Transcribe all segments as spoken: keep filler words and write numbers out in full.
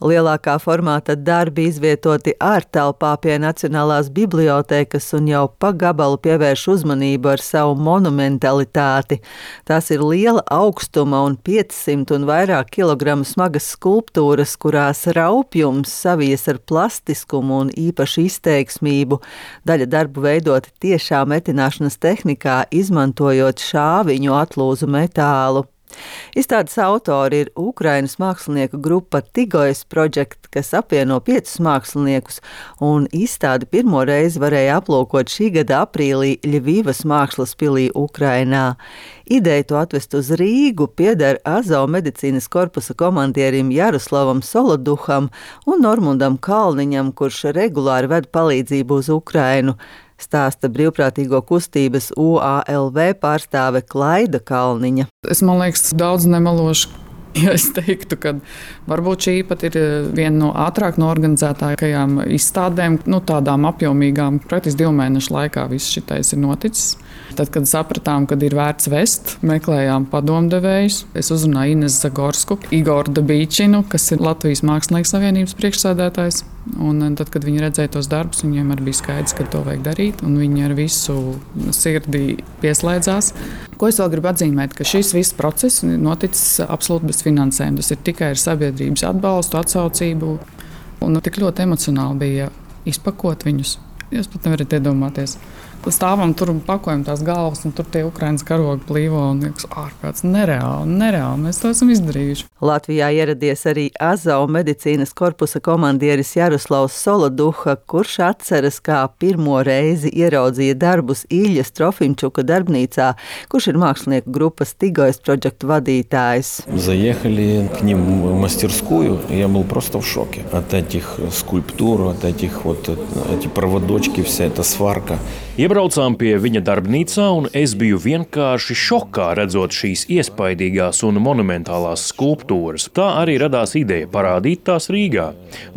Lielākā formāta darbi izvietoti ārtelpā pie Nacionālās bibliotēkas un jau pa gabalu pievērš uzmanību ar savu monumentalitāti. Tās ir liela augstuma un piecsimt un vairāk kilogramu smagas skulptūras, kurās raupjums savies ar plastiskumu un īpašu izteiksmību. Daļa darbu veidoti tiešā metināšanas tehnikā, izmantojot šāviņu atlūzu metālu. Izstādes autori ir Ukrainas mākslinieku grupa Tigojas Project, kas apvieno piecus māksliniekus, un izstādi pirmo reizi varēja aplūkot šī gada aprīlī Ļvivas mākslas pilī Ukrainā. Ideja to atvest uz Rīgu pieder Azov medicīnas korpusa komandierim Jaroslavam Soloduham un Normundam Kalniņam, kurš regulāri ved palīdzību uz Ukrainu. Stāsta brīvprātīgo kustības U A L V pārstāve Klaida Kalniņa. Es, man liekas, daudz nemelošu, ja es teiktu, ka varbūt šī pat ir viena no ātrāk norganizētākajām izstādēm, nu, tādām apjomīgām. Praktiski divu mēnešu laikā viss šitais ir noticis. Tad, kad sapratām, kad ir vērts vest, meklējām padomdevējus. Es uzrunāju Inesu Zagorsku, Igoru Dabīčinu, kas ir Latvijas Mākslinieku savienības priekšsēdētājs. Un tad, kad viņi redzēja tos darbus, viņiem arī bija skaidrs, ka to vajag darīt. Un viņi ar visu sirdī pieslēdzās. Ko es vēl gribu atzīmēt, ka šis viss process noticis absolūti bez finansējuma. Tas ir tikai ar sabiedrības atbalstu, atsaucību. Un tik ļoti emocionāli bija izpakot viņus. Jūs pat nevarat iedomāties. Stāvam tur un pakojam tās galvas, un tur tie Ukrainas karogi plīvo, un liekas, ārprāts, nereāli, nereāli, mēs to esam izdarījuši. Latvijā ieradies arī Azov medicīnas korpusa komandieris Jaroslavs Soloduha, kurš atceras, kā pirmo reizi ieraudzīja darbus Iljas Trofimčuka darbnīcā, kurš ir mākslinieku grupas Tigojas Project vadītājs. Заехали к ним в мастерскую, я был просто в шоке от этих скульптур, от этих вот эти проводочки, вся эта сварка. Iebraucām pie viņa darbnīcā, un es biju vienkārši šokā redzot šīs iespaidīgās un monumentālās skulptūras. Tā arī radās ideja parādīt tās Rīgā.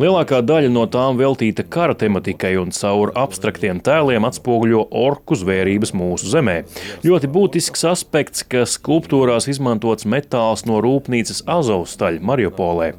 Lielākā daļa no tām veltīta kara tematikai un caur abstraktiem tēliem atspoguļo orku zvērības mūsu zemē. Ļoti būtisks aspekts, ka skulptūrās izmantots metāls no rūpnīcas Azovstaļ Mariupolē.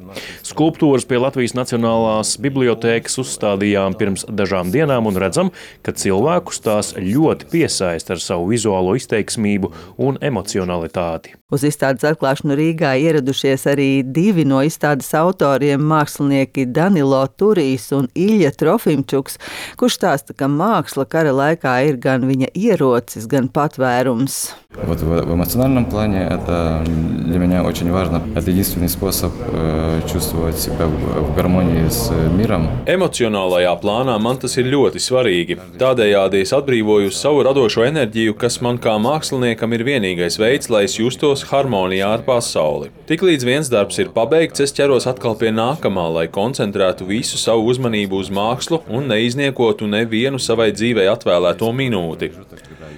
Skulptūras pie Latvijas Nacionālās bibliotēkas uzstādījām pirms dažām dienām un redzam, ka cilvēkus tās ļoti piesaista ar savu vizuālo izteiksmību un emocionalitāti. Uz izstādes atklāšanu Rīgā ieradušies arī divi no izstādes autoriem, mākslinieki Danilo Turijs un Ilja Trofimčuks, kurš stāsta, ka māksla kara laikā ir gan viņa ierocis, gan patvērums. Вот в, в эмоциональном плане это для меня очень важно. Это единственный способ э, чувствовать себя в, в гармонии с миром. Emocionālajā plānā man tas ir ļoti svarīgi. Tādējādi es atbrīvoju savu radošo enerģiju, kas man kā māksliniekam ir vienīgais veids, lai es justos harmonijā ar pasauli. Tiklīdz viens darbs ir pabeigts, es ķeros atkal pie nākamā, lai koncentrētu visu savu uzmanību uz mākslu un neizniekotu nevienu savai dzīvei atvēlēto minūti.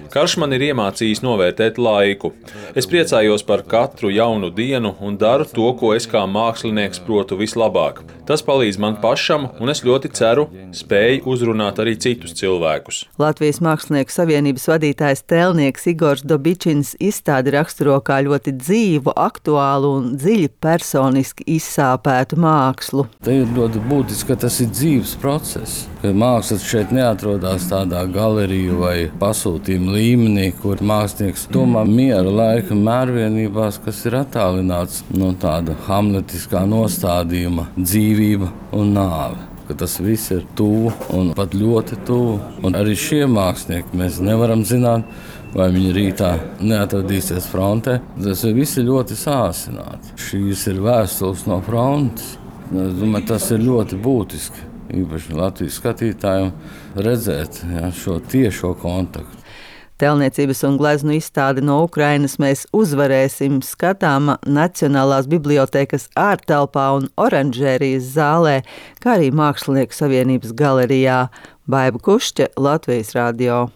Karš man ir iemācījis novērtēt laiku. Es priecājos par katru jaunu dienu un daru to, ko es kā mākslinieks protu vislabāk. Tas palīdz man pašam, un es ļoti ceru, spēju uzrunāt arī citus cilvēkus. Latvijas Mākslinieku savienības vadītājs tēlnieks Igors Dabičins izstādi raksturo kā ļoti dzīvu, aktuālu un dziļi personiski izsāpētu mākslu. Tā ir ļoti būtiski, ka tas ir dzīves process. Mākslas šeit neatrodas tādā galeriju vai pasūtījuma līmenī, kur mākslinieks domā miera laika mērvienībās, kas ir attālināts no tāda hamletiskā nostādījuma dzīvība un nāve. Ka tas viss ir tuvu un pat ļoti tuvu. Un arī šie mākslinieki mēs nevaram zināt, vai viņi rītā neatradīsies frontē. Tas viss ir ļoti sāsināti. Šīs ir vēstules no frontes. Es domāju, tas ir ļoti būtiski. Īpaši Latvijas skatītājiem redzēt ja, šo tiešo kontaktu. Tēlniecības un gleznu izstādi no Ukrainas Mēs uzvarēsim skatāma Nacionālās bibliotēkas ārtelpā un oranžērijas zālē, kā arī Mākslinieku savienības galerijā. Baiba Kušķe, Latvijas radio.